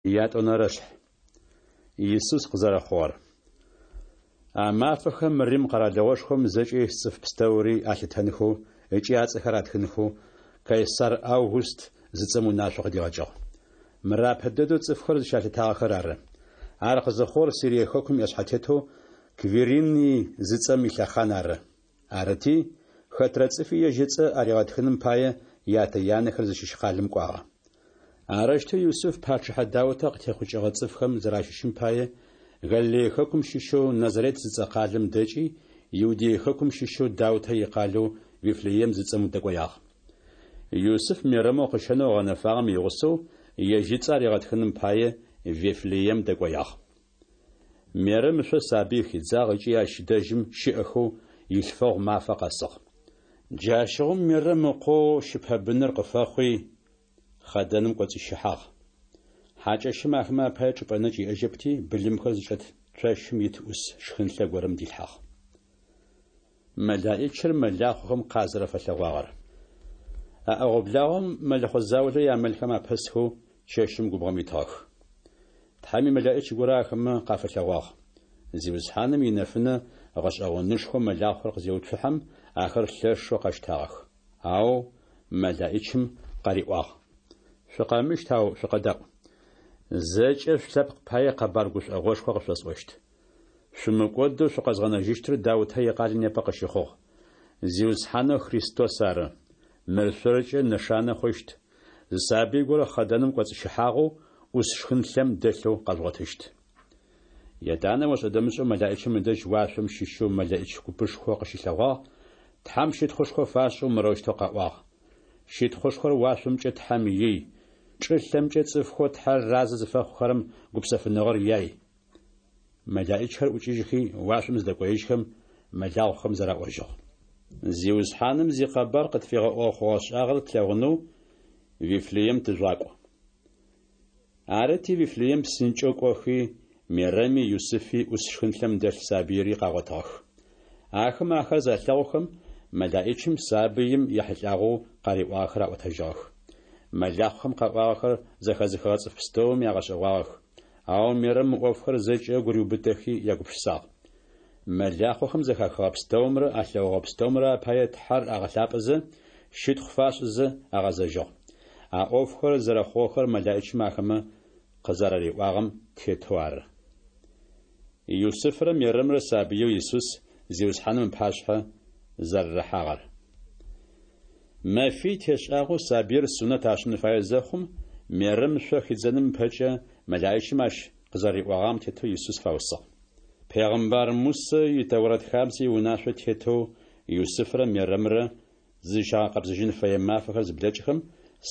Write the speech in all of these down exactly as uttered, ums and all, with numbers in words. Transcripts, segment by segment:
Ятӏонэрэшъхь. Исус къызэрэхъугъэр. А мафэхэм Рим къэралыгъошхом зэкӏэ ис цӏыф пстэури алъытэнхэу ыкӏи ацӏэхэр атхынхэу Кайсар Август зыцӏэм унашъо къыдигъэкӏыгъ. Мыр апэ дэдэу цӏыфхэр зыщалъытагъэхэр ары. Ар къызыхъугъэр Сирие хэкум иӏэшъхьэтетэу Квириний зыцӏэм илъэхъан ары. Арыти, хэтрэ цӏыфи ежь ыцӏэ аригъэтхыным пае, ятэ-янэхэр зыщыщ къалэм кӏуагъэ. Арэущтэу Юсыф пачъыхьэ Даутэ къытехъукӏыгъэ цӏыфхэм зэращыщым пае, Галилее хэкум щыщэу Назарет зыцӏэ къалэм дэкӏи, Иудей хэкум щыщэу Даутэ икъалэу Вифлеем зыцӏэм дэкӏоягъ. Юсыф Мерэмэу къыщэнэу ыгъэнэфагъэм игъусэу, ежь ыцӏэ аригъэтхыным пае, Вифлеем дэкӏоягъ. Мерэм ышъо сабый хидзагъ ыкӏи ащ дэжьым щыӏэхэу илъфэгъу мафэ къэсыгъ. Джащыгъум Мерэм ыкъоу щыпэбыныр къыфэхъуи, хъэдэным кӏоцӏищыхьагъ. Хьакӏэщым ахэмэ апае чӏыпӏэ нэкӏ иӏэжьэпти, былымхэр зычӏэт цощым ит ӏус шхынлъэ горэм дилъхьагъ. Мэлаӏичыр мэлахъохэм къазэрэфэлъэгъуагъэр. А ӏэгъо-благъом мэлэхъо заулэ ямэлхэм апэсхэу чэщым губгъом итыгъэх. Тхьэм имэлэӏич горэ ахэмэ къафэлъэгъуагъ. Зиусхьаным инэфынэ гъэшӏэгъонышхо мэлахъохэр къызеуцухьэм, ахэр лъэшэу къэщтагъэх. Ау мэлаӏичым къариӏуагъ: Шъукъэмыщт, ау шъукъэдаӏу. Зэкӏэ шъулъэпкъ пае къэбар гушӏогъошхо къышъосӏощт. Шъумыкӏодэу шъукъэзгъэнэжьыщтыр Даутэ икъалэ непэ къыщыхъугъ. Зиусхьанэу Христос ары. Мыр шъоркӏэ нэшанэ хъущт: зы сабый горэ хъэдэным кӏоцӏыщыхьагъэу, ӏус шхынлъэм дэлъэу къэжъугъотыщт. Етӏанэ ошӏэ-дэмышӏэу мэлаӏичым ыдэжь уашъом щыщэу мэлэӏич купышхо къыщылъэгъуагъ, Тхьэм щытхъушхо фашӏэу мырэущтэу къаӏуагъ: Щытхъушхор уашъомкӏэ Тхьэм ий, чӏылъэмкӏэ цӏыфхэу Тхьэр разэ зыфэхъухэрэм гупсэфыныгъэр яй. Мэлаӏичхэр ӏукӏыжьхи, уашъом зыдэкӏоежьхэм, мэлахъохэм зэраӏожьыгъ: Зиусхьаным зикъэбар къытфигъэӏугъэ хъугъэ-шӏагъэр тлъэгъунэу Вифлеем тыжъугъакӏу. Арыти, Вифлеем псынкӏэу кӏохи, Мерэми Юсыфи ӏус шхынлъэм дэлъ сабыири къагъотыгъэх. Ахэм ахэр залъэгъухэм, мэлаӏичым сабыим ехьылӏагъэу къариӏуагъэхэр аӏотэжьыгъэх. Мэлахъохэм къаӏуагъэхэр зэхэзыхыгъэ цӏыф пстэуми агъэшӏэгъуагъэх. Ау Мерэм мы ӏофхэр зэкӏэ ыгу риубытэхи ягупшысагъ. Мэлахъохэм зэхахыгъэ пстэумрэ алъэгъугъэ пстэумрэ апае Тхьэр агъэлъапӏэзэ, щытхъу фашӏызэ агъэзэжьыгъ. А ӏофхэр зэрэхъугъэхэр мэлаӏичым ахэмэ къызэрариӏуагъэм тетэу ары. Юсыфрэ Мерэмрэ сабыеу Исус Зиусхьаным ыпашъхьэ зэрэрахьагъэр. Мэфий тешӏагъэу сабыир сунэт ашӏын фаеу зэхъум, Мерэм шъо хидзэным ыпэкӏэ мэлаӏичым ащ къызэриӏогъагъэм тетэу Исус фаусыгъ. Пегъымбар Мусэ и Тэурэт хабзэ иунашъо тетэу Юсыфрэ Мерэмрэ зызщагъэкъэбзэжьын фэе мафэхэр зыблэкӏхэм,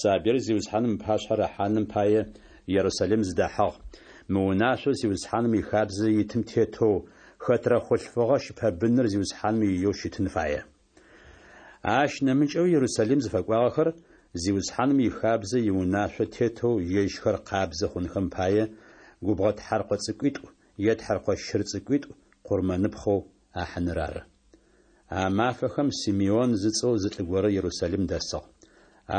сабыир Зиусхьаным ыпашъхьэ рахьаным пае Ерусалим зыдахьыгъ, мы унашъоу Зиусхьаным ихабзэ итым тетэу, хэтрэ хъулъфыгъэ щыпэбыныр Зиусхьаным иеу щытын фае. Ащ нэмыкӏэуи Ерусалим зыфэкӏуагъэхэр Зиусхьаным ихабзэ иунашъо тетэу ежьхэр къабзэ хъунхэм пае губгъо тхьэркъо цӏыкӏуитӏу е тхьэркъо щыр цӏыкӏуитӏу къурмэныпхъэу ахьыныр ары. А мафэхэм Симеон зыцӏэу зы лӏы горэ Ерусалим дэсыгъ.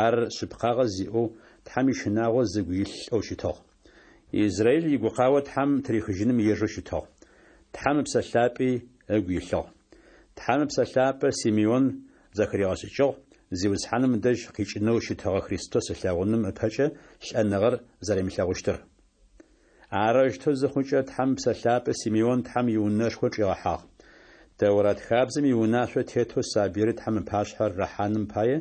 Ар шъыпкъагъэ зиӏэу, Тхьэм ищынагъо зыгу илъ лӏэу щытыгъ. Израиль игукъао Тхьэм тырихыжьыным ежэу щытыгъ. Тхьэм Ыпсэ Лъапӏи ыгу илъыгъ. Тхьэм Ыпсэ Лъапӏэ Симеон зэхыригъэшӏыкӏыгъ Зиусхьаным ыдэжь къикӏынэу щытыгъэ Христос ылъэгъуным ыпэкӏэ лӏэныгъэр зэримылъэгъущтыр. Арэущтэу зыхъукӏэ, Тхьэм Ыпсэ Лъапӏэ Симеон Тхьэм иунэшхо чӏигъэхьагъ. Тэурат хабзэм иунашъо тетэу сабыири Тхьэм ыпашъхьэ рахьаным пае,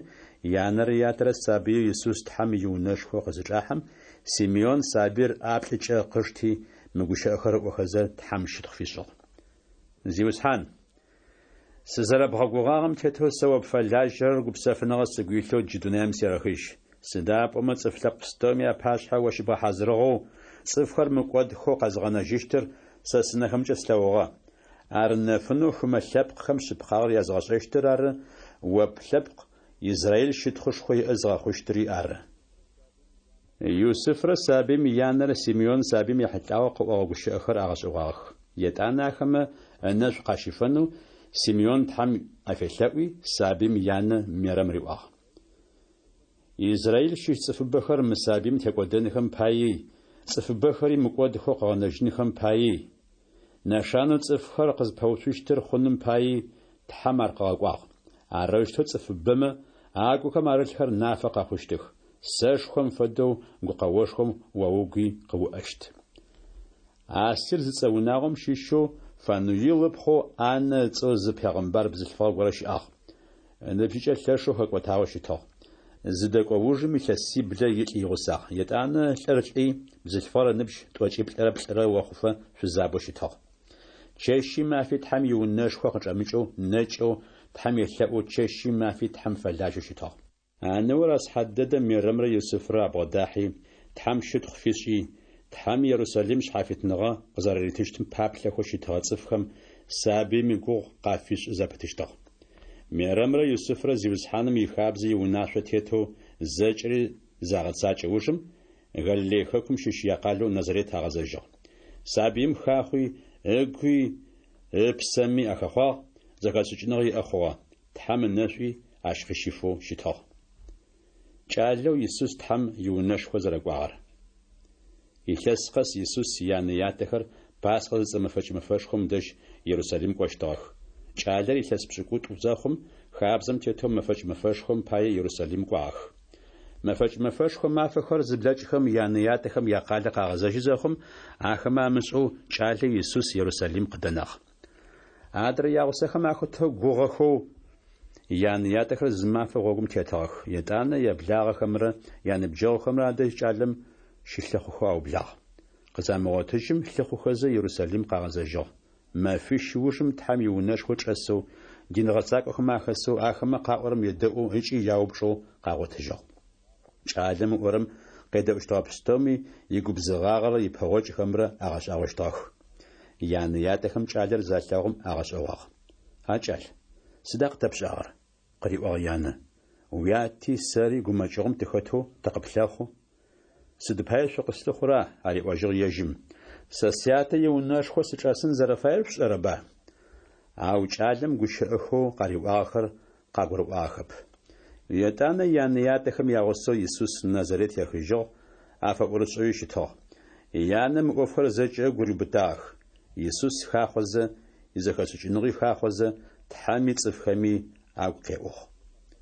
янэрэ ятэрэ сабыеу Исус Тхьэм иунэшхо къызычӏахьэм, Симеон сабыир ӏаплӏыкӏэ къышти, мы гущыӏэхэр ыӏохэзэ, Тхьэм щытхъу фишӏыгъ. Зиусхьан, сызэрэбгъэгугъагъэм тетэу сэ о пфэлажьэрэр гупсэфыныгъэ сыгу илъэу джы дунаим серэхыжь. Сыда пӏомэ цӏыф лъэпкъ пстэуми апашъхьэ о щыбгъэхьазырыгъэу, цӏыфхэр мыкӏодхэу къэзыгъэнэжьыщтыр сэ сынэхэмкӏэ слъэгъугъэ. Ар нэфынэу хымэ лъэпкъхэм шъыпкъагъэр языгъэшӏэщтыр ары, о плъэпкъ Израиль щытхъушхо иӏэ зыгъэхъущтыри ары. Юсыфрэ сабыим янэрэ Симеон сабыим ехьылӏагъэу къыӏогъэ гущыӏэхэр агъэшӏэгъуагъэх. Етӏанэ ахэмэ ынэшӏу къащифэнэу Симеон Тхьэм афелъэӏуи, сабыим янэ Мерэм риӏуагъ: Израиль щыщ цӏыфыбэхэр мы сабыим текӏодэнхэм паий, Цӏыфыбэхэри мыкӏодхэу къыгъэнэжьынхэм паий, нэшанэу цӏыфхэр къызпэуцущтыр хъуным паий Тхьэм ар къыгъэкӏуагъ. Арэущтэу цӏыфыбэмэ агухэм арылъхэр нафэ къэхъущтых. Сэшхом фэдэу гукъэошхом о угуи къыуӏэщт. Асир зыцӏэ унагъом щыщэу Фануил ыпхъоу Аннэ ыцӏэу зы пегъымбар бзылъфыгъэ горэ щыӏагъ. Ыныбжьыкӏэ лъэшэу хэкӏотагъэу щытыгъ. Зыдэкӏо ужым илъэсиблэ илӏ игъусагъ. Етӏанэ лӏыр лӏи, бзылъфыгъэр ыныбжь тӏокӏиплӏырэ плӏырэ охъуфэ шъузабэу щытыгъ. Чэщи мафи Тхьэм иунэшхо къычӏэмыкӏэу, нэкӏэу, Тхьэм елъэӏоу, чэщи мафи Тхьэм фэлажьэу щытыгъ. А ныор а сыхьат дэдэм Мерэмрэ Юсыфрэ абгъодахьи, Тхьэм щытхъу фишӏи, Тхьэм Ерусалим шъхьафитныгъэ къызэрэритыщтым паплъэхэу щытыгъэ цӏыфхэм сабыим игугъу къафишӏы зэпытыщтыгъ. Мерэмрэ Юсыфрэ Зиусхьаным ихабзэ иунашъо тетэу зэкӏэри загъэцакӏэ ужым, Галилей хэкум щыщ якъалэу Назарет агъэзэжьыгъ. Сабыим хахъуи, ыгуи ыпсэми ахэхъуагъ, зэхэшӏыкӏыныгъэ иӏэ хъугъэ, Тхьэм ынэшӏуи ащ къыщифэу щытыгъ. Кӏалэу Исус Тхьэм иунэшхо зэрэкӏуагъэр. Илъэс къэс Исус янэ-ятэхэр Пасхъэ зыцӏэ мэфэкӏ мэфэшхом дэжь Ерусалим кӏощтыгъэх. Кӏалэр илъэс пшӏыкӏутӏу зэхъум, хабзэм тетэу мэфэкӏ мэфэшхом пае Ерусалим кӏуагъэх. Мэфэкӏ мэфэшхо мафэхэр зыблэкӏхэм янэ-ятэхэм якъалэ къагъэзэжьы зэхъум, ахэмэ амышӏэу кӏалэ Исус Ерусалим къыдэнагъ. Адрэ ягъусэхэм ахэтэу гугъэхэу янэ-ятэхэр зы мафэ гъогум тетыгъэх. Етӏанэ яблагъэхэмрэ яныбджэгъухэмрэ адэжь кӏалэм щылъыхъухэу аублагъ. Къызамыгъотыжьым, лъыхъухэзэ Ерусалим къагъэзэжьыгъ. Мэфищ ужым Тхьэм иунэшхо чӏэсэу, дин гъэцакӏохэм ахэсэу, ахэмэ къаӏорэм едэӏоу ыкӏи яупчӏэу къагъотыжьыгъ. Кӏалэм ыӏорэм къедэӏущтыгъэ пстэуми игубзыгъагъэрэ ипэгъокӏхэмрэ агъэшӏагъощтыгъэх. Янэ-ятэхэм кӏалэр залъэгъум агъэшӏэгъуагъ. А кӏал, сыда къытэпшӏагъэр? къыриӏуагъ янэ. Уяти сэри гумэкӏыгъом тыхэтэу тыкъыплъэхъу. Сыд пае шъукъыслъыхъура? ариӏожьыгъ ежьым. Сэ сятэ иунэшхо сычӏэсын зэрэфаер шъушӏэрэба? Ау кӏалэм гущыӏэхэу къариӏуагъэхэр къагурыӏуагъэхэп. Етӏанэ янэ-ятэхэм ягъусэу Исус Назарет ехыжьыгъ, афэӏорышӏэуи щытыгъ. Янэ мы ӏофхэр зэкӏэ ыгу риубытагъэх. Исус хахъозэ, изэхэшӏыкӏыныгъи хахъозэ, Тхьэми цӏыфхэми агу къеӏугъ.